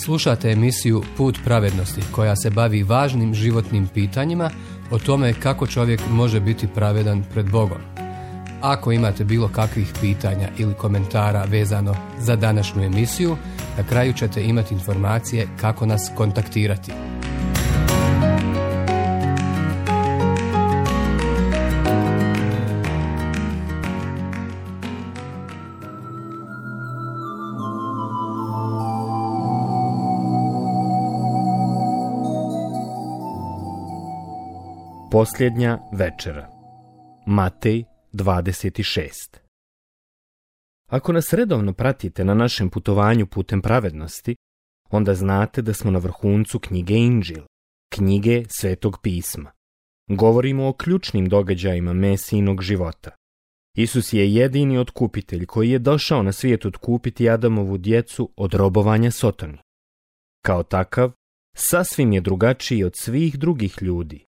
Slušate emisiju Put pravednosti koja se bavi važnim životnim pitanjima o tome kako čovjek može biti pravedan pred Bogom. Ako imate bilo kakvih pitanja ili komentara vezano za današnju emisiju, na kraju ćete imati informacije kako nas kontaktirati. Posljednja večera. Matej 26. Ako nas redovno pratite na našem putovanju putem pravednosti, onda znate da smo na vrhuncu knjige Inđil, knjige Svetog pisma. Govorimo o ključnim događajima Mesijinog života. Isus je jedini otkupitelj koji je došao na svijet otkupiti Adamovu djecu od robovanja Sotoni. Kao takav, sasvim je drugačiji od svih drugih ljudi.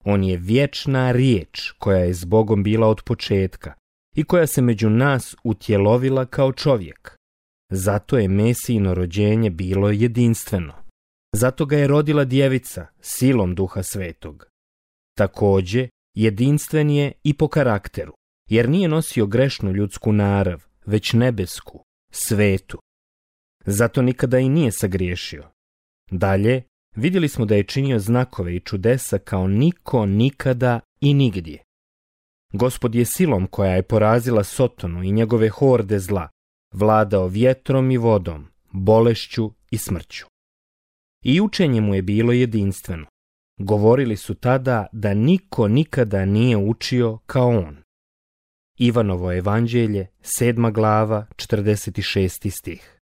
On je vječna riječ koja je s Bogom bila od početka i koja se među nas utjelovila kao čovjek. Zato je Mesijino rođenje bilo jedinstveno. Zato ga je rodila djevica silom Duha Svetog. Također, jedinstven je i po karakteru, jer nije nosio grešnu ljudsku narav, već nebesku, svetu. Zato nikada i nije sagriješio. Dalje, vidjeli smo da je činio znakove i čudesa kao niko nikada i nigdje. Gospod je silom koja je porazila Sotonu i njegove horde zla vladao vjetrom i vodom, bolešću i smrću. I učenje mu je bilo jedinstveno. Govorili su tada da niko nikada nije učio kao on. Ivanovo evanđelje, 7. glava, 46. stih.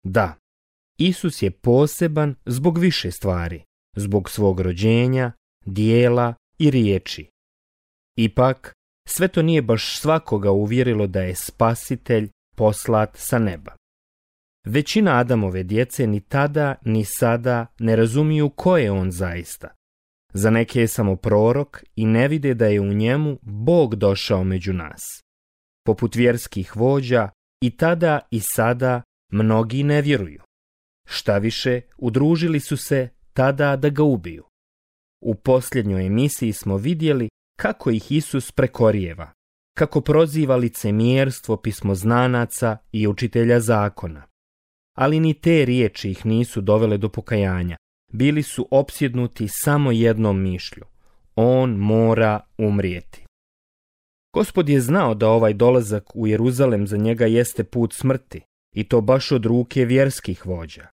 Da, Isus je poseban zbog više stvari, zbog svog rođenja, dijela i riječi. Ipak, sve to nije baš svakoga uvjerilo da je spasitelj poslat sa neba. Većina Adamove djece ni tada ni sada ne razumiju ko je on zaista. Za neke je samo prorok i ne vide da je u njemu Bog došao među nas. Poput vjerskih vođa i tada i sada mnogi ne vjeruju. Štaviše, udružili su se tada da ga ubiju. U posljednjoj emisiji smo vidjeli kako ih Isus prekorijeva, kako proziva licemjerstvo pismoznanaca i učitelja zakona. Ali ni te riječi ih nisu dovele do pokajanja. Bili su opsjednuti samo jednom mišlju. On mora umrijeti. Gospod je znao da ovaj dolazak u Jeruzalem za njega jeste put smrti, i to baš od ruke vjerskih vođa.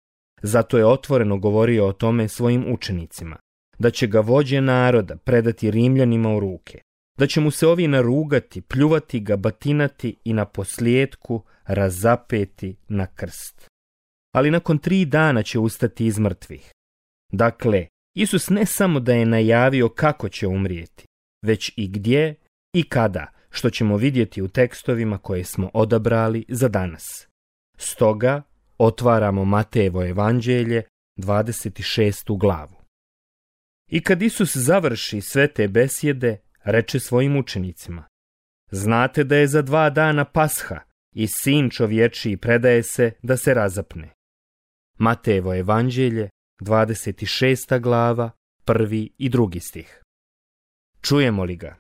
Zato je otvoreno govorio o tome svojim učenicima, da će ga vođe naroda predati Rimljanima u ruke, da će mu se ovi narugati, pljuvati ga, batinati i na posljetku razapeti na krst. Ali nakon 3 dana će ustati iz mrtvih. Dakle, Isus ne samo da je najavio kako će umrijeti, već i gdje i kada, što ćemo vidjeti u tekstovima koje smo odabrali za danas. Stoga, otvaramo Matejevo evanđelje, 26. glavu. I kad Isus završi sve te besjede, reče svojim učenicima: znate da je za 2 dana Pasha i Sin čovječiji predaje se da se razapne. Matejevo evanđelje, 26. glava, 1. i 2. stih. Čujemo li ga?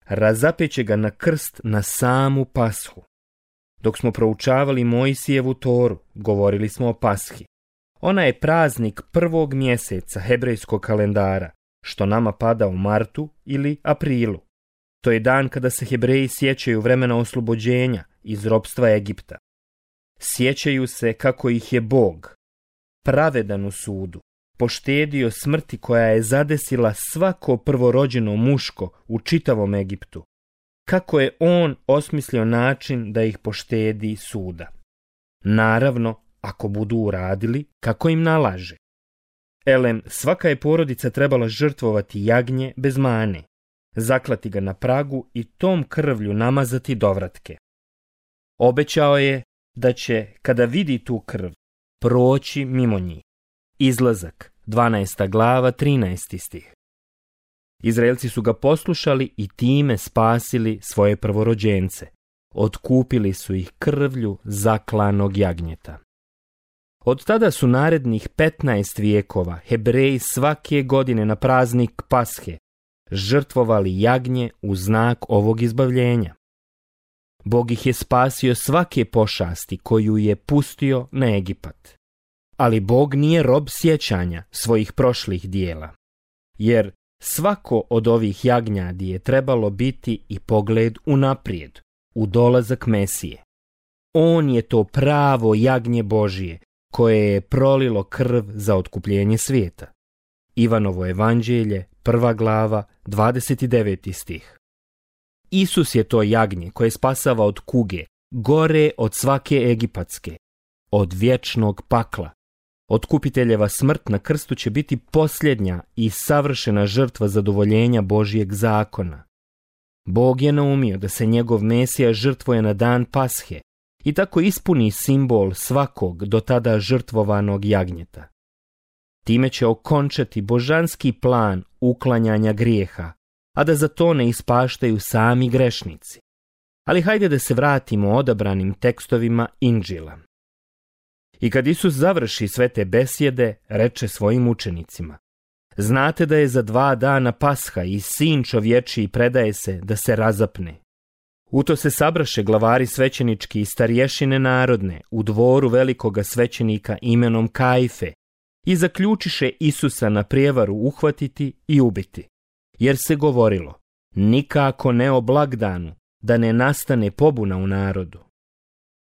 Razapeće ga na krst na samu Pashu. Dok smo proučavali Mojsijevu Toru, govorili smo o Pashi. Ona je praznik 1. mjeseca hebrejskog kalendara, što nama pada u martu ili aprilu. To je dan kada se Hebreji sjećaju vremena oslobođenja iz ropstva Egipta. Sjećaju se kako ih je Bog, pravedan u sudu, poštedio smrti koja je zadesila svako prvorođeno muško u čitavom Egiptu. Kako je on osmislio način da ih poštedi suda. Naravno, ako budu uradili kako im nalaže. Svaka je porodica trebala žrtvovati jagnje bez mane, zaklati ga na pragu i tom krvlju namazati dovratke. Obećao je da će, kada vidi tu krv, proći mimo njih. Izlazak, 12. glava, 13. stih. Izraelci su ga poslušali i time spasili svoje prvorođence. Otkupili su ih krvlju zaklanog jagnjeta. Od tada su narednih 15 vijekova Hebreji svake godine na praznik Pashe žrtvovali jagnje u znak ovog izbavljenja. Bog ih je spasio svake pošasti koju je pustio na Egipat. Ali Bog nije rob sjećanja svojih prošlih dijela, jer svako od ovih jagnjadi je trebalo biti i pogled unaprijed, u dolazak Mesije. On je to pravo jagnje Božije, koje je prolilo krv za otkupljenje svijeta. Ivanovo evanđelje, 1. glava, 29. stih. Isus je to jagnje koje spasava od kuge, gore od svake egipatske, od vječnog pakla. Otkupiteljeva smrt na krstu će biti posljednja i savršena žrtva zadovoljenja Božjeg zakona. Bog je naumio da se njegov Mesija žrtvuje na dan Pashe i tako ispuni simbol svakog do tada žrtvovanog jagnjeta. Time će okončati božanski plan uklanjanja grijeha, a da za to ne ispaštaju sami grešnici. Ali hajde da se vratimo odabranim tekstovima Inđila. I kad Isus završi sve te besjede, reče svojim učenicima: znate da je za 2 dana Pasha i sin čovječiji predaje se da se razapne. U to se sabraše glavari svećenički i starješine narodne u dvoru velikoga svećenika imenom Kajfe i zaključiše Isusa na prijevaru uhvatiti i ubiti, jer se govorilo: nikako ne o blagdanu, da ne nastane pobuna u narodu.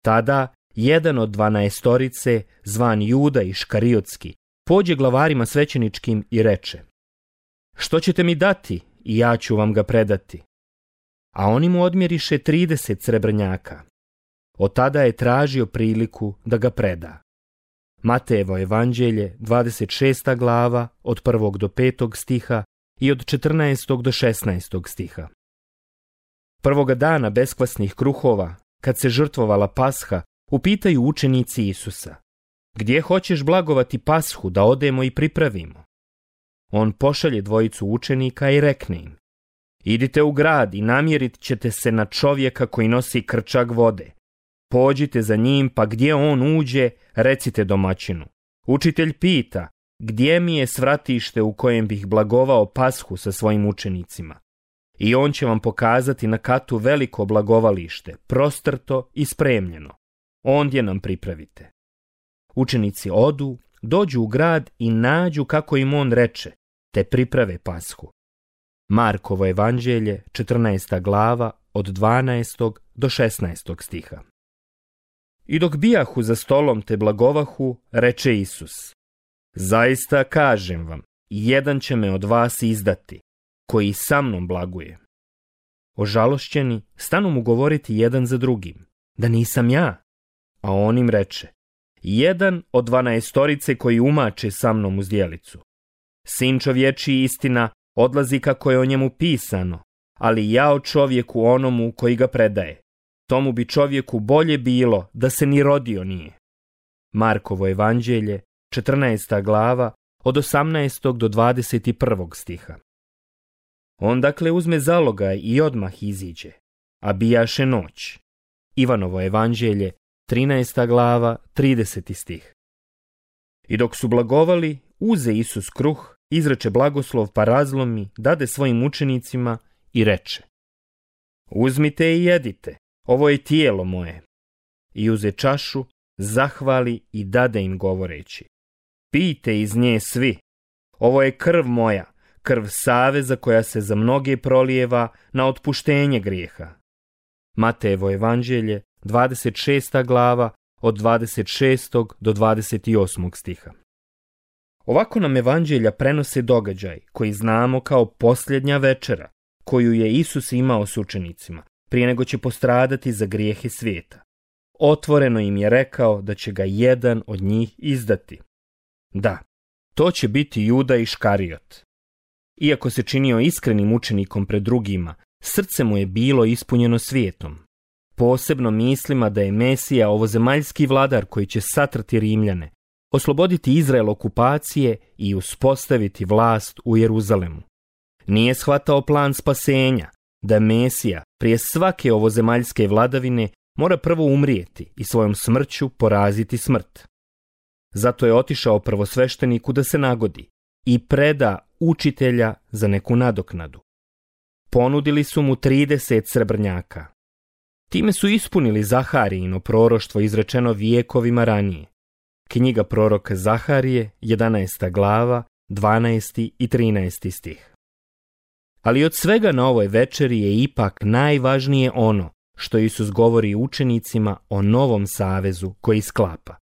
Tada jedan od 12, zvan Juda Iškariotski, pođe glavarima svećeničkim i reče: što ćete mi dati i ja ću vam ga predati? A oni mu odmjeriše 30 srebrnjaka. Od tada je tražio priliku da ga preda. Matejevo evanđelje, 26. glava, od 1. do 5. stiha i od 14. do 16. stiha. Prvoga dana beskvasnih kruhova, kad se žrtvovala Pasha, upitaju učenici Isusa: gdje hoćeš blagovati Pashu da odemo i pripravimo? On pošalje 2 učenika i rekne im: idite u grad i namjerit ćete se na čovjeka koji nosi krčag vode. Pođite za njim, pa gdje on uđe, recite domaćinu: učitelj pita, gdje mi je svratište u kojem bih blagovao Pashu sa svojim učenicima? I on će vam pokazati na katu veliko blagovalište, prostrto i spremljeno. Ondje nam pripravite. Učenici odu, dođu u grad i nađu kako im on reče, te priprave Pashu. Markovo evanđelje, 14. glava, od 12. do 16. stiha. I dok bijahu za stolom te blagovahu, reče Isus: zaista kažem vam, jedan će me od vas izdati, koji sa mnom blaguje. Ožalošćeni stanu mu govoriti jedan za drugim: da nisam ja. A on im reče: jedan od 12 koji umače sa mnom u zdjelicu. Sin čovječiji, istina, odlazi kako je o njemu pisano, ali jao čovjeku onomu koji ga predaje. Tomu bi čovjeku bolje bilo da se ni rodio nije. Markovo evanđelje, 14. glava, od 18. do 21. stiha. On dakle uzme zalogaj i odmah iziđe, a bijaše noć. Ivanovo evanđelje, 13. glava, 30. stih. I dok su blagovali, uze Isus kruh, izreče blagoslov, pa razlomi, dade svojim učenicima i reče: uzmite i jedite, ovo je tijelo moje. I uze čašu, zahvali i dade im govoreći: pijte iz nje svi, ovo je krv moja, krv saveza koja se za mnoge prolijeva na otpuštenje grijeha. Matejevo evanđelje, 26. glava, od 26. do 28. stiha. Ovako nam evanđelja prenose događaj koji znamo kao posljednja večera, koju je Isus imao s učenicima, prije nego će postradati za grijehe svijeta. Otvoreno im je rekao da će ga jedan od njih izdati. Da, to će biti Juda Iškariot. Iako se činio iskrenim učenikom pred drugima, srce mu je bilo ispunjeno svijetom. Posebno mislima da je Mesija ovozemaljski vladar koji će satrati Rimljane, osloboditi Izrael okupacije i uspostaviti vlast u Jeruzalemu. Nije shvatao plan spasenja, da Mesija prije svake ovozemaljske vladavine mora prvo umrijeti i svojom smrću poraziti smrt. Zato je otišao prvosvešteniku da se nagodi i preda učitelja za neku nadoknadu. Ponudili su mu 30 srebrnjaka. Time su ispunili Zaharijino proroštvo izrečeno vijekovima ranije. Knjiga proroka Zaharije, 11. glava, 12. i 13. stih. Ali od svega na ovoj večeri je ipak najvažnije ono što Isus govori učenicima o novom savezu koji sklapa.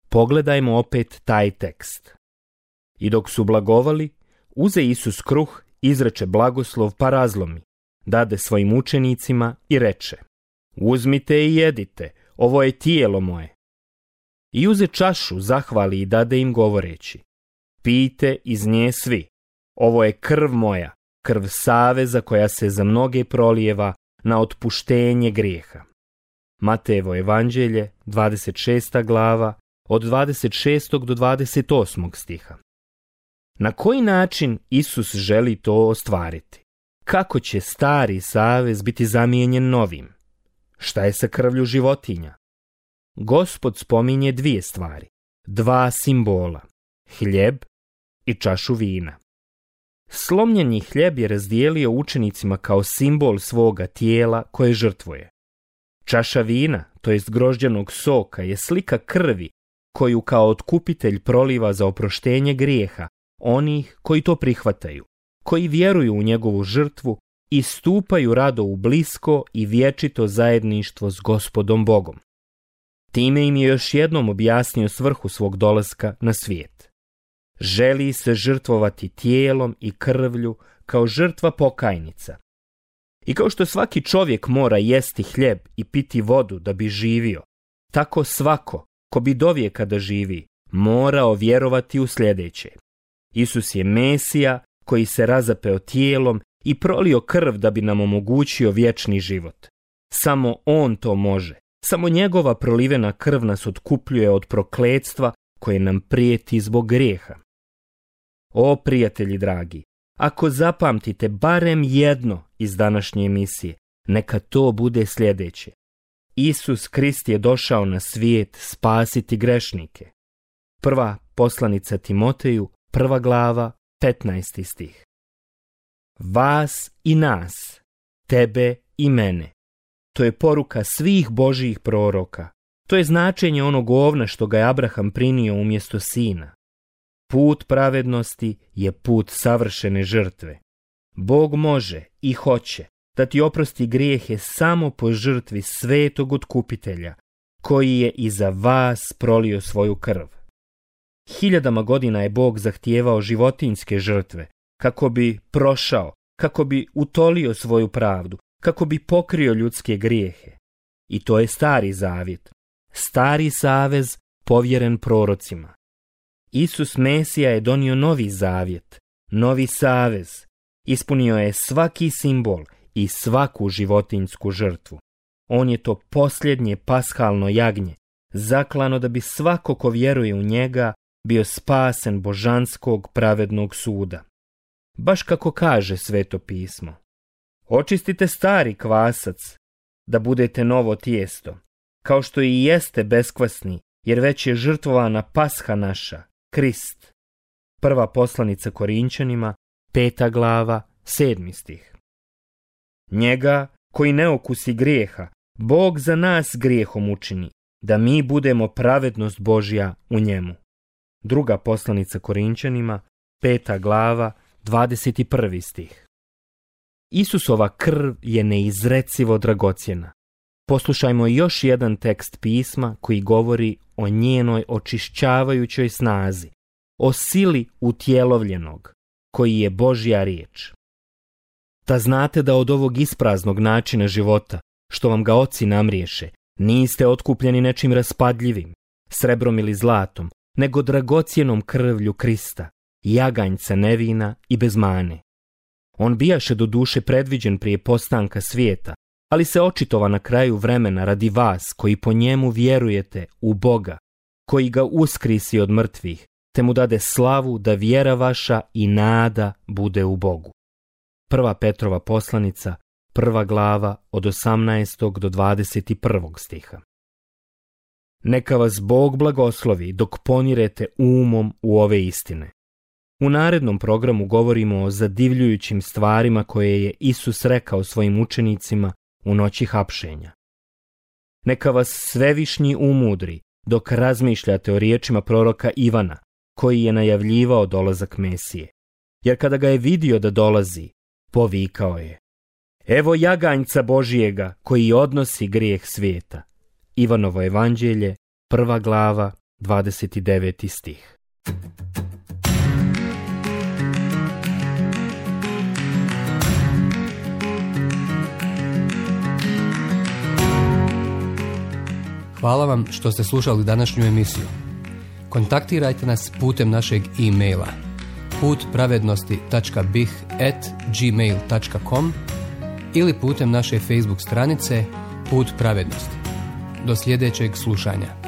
Pogledajmo opet taj tekst. I dok su blagovali, uze Isus kruh, izreče blagoslov pa razlomi, dade svojim učenicima i reče: uzmite i jedite, ovo je tijelo moje. I uze čašu, zahvali i dade im govoreći: pijte iz nje svi, ovo je krv moja, krv saveza koja se za mnoge prolijeva na otpuštenje grijeha. Matejevo evanđelje, 26. glava, od 26. do 28. stiha. Na koji način Isus želi to ostvariti? Kako će stari savez biti zamijenjen novim? Šta je sa krvlju životinja? Gospod spominje 2 stvari, 2 simbola, hljeb i čašu vina. Slomljeni hljeb je razdijelio učenicima kao simbol svoga tijela koje žrtvuje. Čaša vina, to jest grožđanog soka, je slika krvi koju kao otkupitelj proliva za oproštenje grijeha onih koji to prihvataju, koji vjeruju u njegovu žrtvu i stupaju rado u blisko i vječito zajedništvo s Gospodom Bogom. Time im je još jednom objasnio svrhu svog dolaska na svijet. Želi se žrtvovati tijelom i krvlju kao žrtva pokajnica. I kao što svaki čovjek mora jesti hljeb i piti vodu da bi živio, tako svako ko bi dovijeka da živi morao vjerovati u sljedeće. Isus je Mesija koji se razapeo tijelom i prolio krv da bi nam omogućio vječni život. Samo on to može. Samo njegova prolivena krv nas otkupljuje od prokletstva koje nam prijeti zbog grijeha. O prijatelji dragi, ako zapamtite barem jedno iz današnje emisije, neka to bude sljedeće. Isus Krist je došao na svijet spasiti grešnike. Prva poslanica Timoteju, 1. glava, 15. stih. Vas i nas, tebe i mene. To je poruka svih Božjih proroka. To je značenje onog ovna što ga je Abraham prinio umjesto sina. Put pravednosti je put savršene žrtve. Bog može i hoće da ti oprosti grijehe samo po žrtvi svetog otkupitelja, koji je i za vas prolio svoju krv. 1000 godina je Bog zahtijevao životinjske žrtve, kako bi prošao, kako bi utolio svoju pravdu, kako bi pokrio ljudske grijehe. I to je stari zavjet, stari savez povjeren prorocima. Isus Mesija je donio novi zavjet, novi savez. Ispunio je svaki simbol i svaku životinjsku žrtvu. On je to posljednje pashalno jagnje, zaklano da bi svako ko vjeruje u njega bio spasen božanskog pravednog suda. Baš kako kaže Sveto pismo. Očistite stari kvasac, da budete novo tijesto, kao što i jeste beskvasni, jer već je žrtvovana pasha naša, Krist. Prva poslanica Korinčanima, 5. glava, 7. stih. Njega, koji ne okusi grijeha, Bog za nas grijehom učini, da mi budemo pravednost Božja u njemu. Druga poslanica Korinčanima, 5. glava, 21. stih. Isusova krv je neizrecivo dragocjena. Poslušajmo još jedan tekst pisma koji govori o njenoj očišćavajućoj snazi, o sili utjelovljenog, koji je Božja riječ. Da znate da od ovog ispraznog načina života, što vam ga oci namriješe, niste otkupljeni nečim raspadljivim, srebrom ili zlatom, nego dragocjenom krvlju Krista, jaganjca nevina i bez mane. On bijaše do duše predviđen prije postanka svijeta, ali se očitova na kraju vremena radi vas koji po njemu vjerujete u Boga, koji ga uskrisi od mrtvih, te mu dade slavu da vjera vaša i nada bude u Bogu. Prva Petrova poslanica, 1. glava od 18. do 21. stiha. Neka vas Bog blagoslovi dok ponirete umom u ove istine. U narednom programu govorimo o zadivljujućim stvarima koje je Isus rekao svojim učenicima u noći hapšenja. Neka vas Svevišnji umudri dok razmišljate o riječima proroka Ivana, koji je najavljivao dolazak Mesije. Jer kada ga je vidio da dolazi, povikao je: Evo jaganjca Božijega koji odnosi grijeh svijeta. Ivanovo evanđelje, 1. glava, 29. stih. Hvala vam što ste slušali današnju emisiju. Kontaktirajte nas putem našeg e-maila putpravednosti.bih@gmail.com ili putem naše Facebook stranice Put pravednosti. Do sljedećeg slušanja.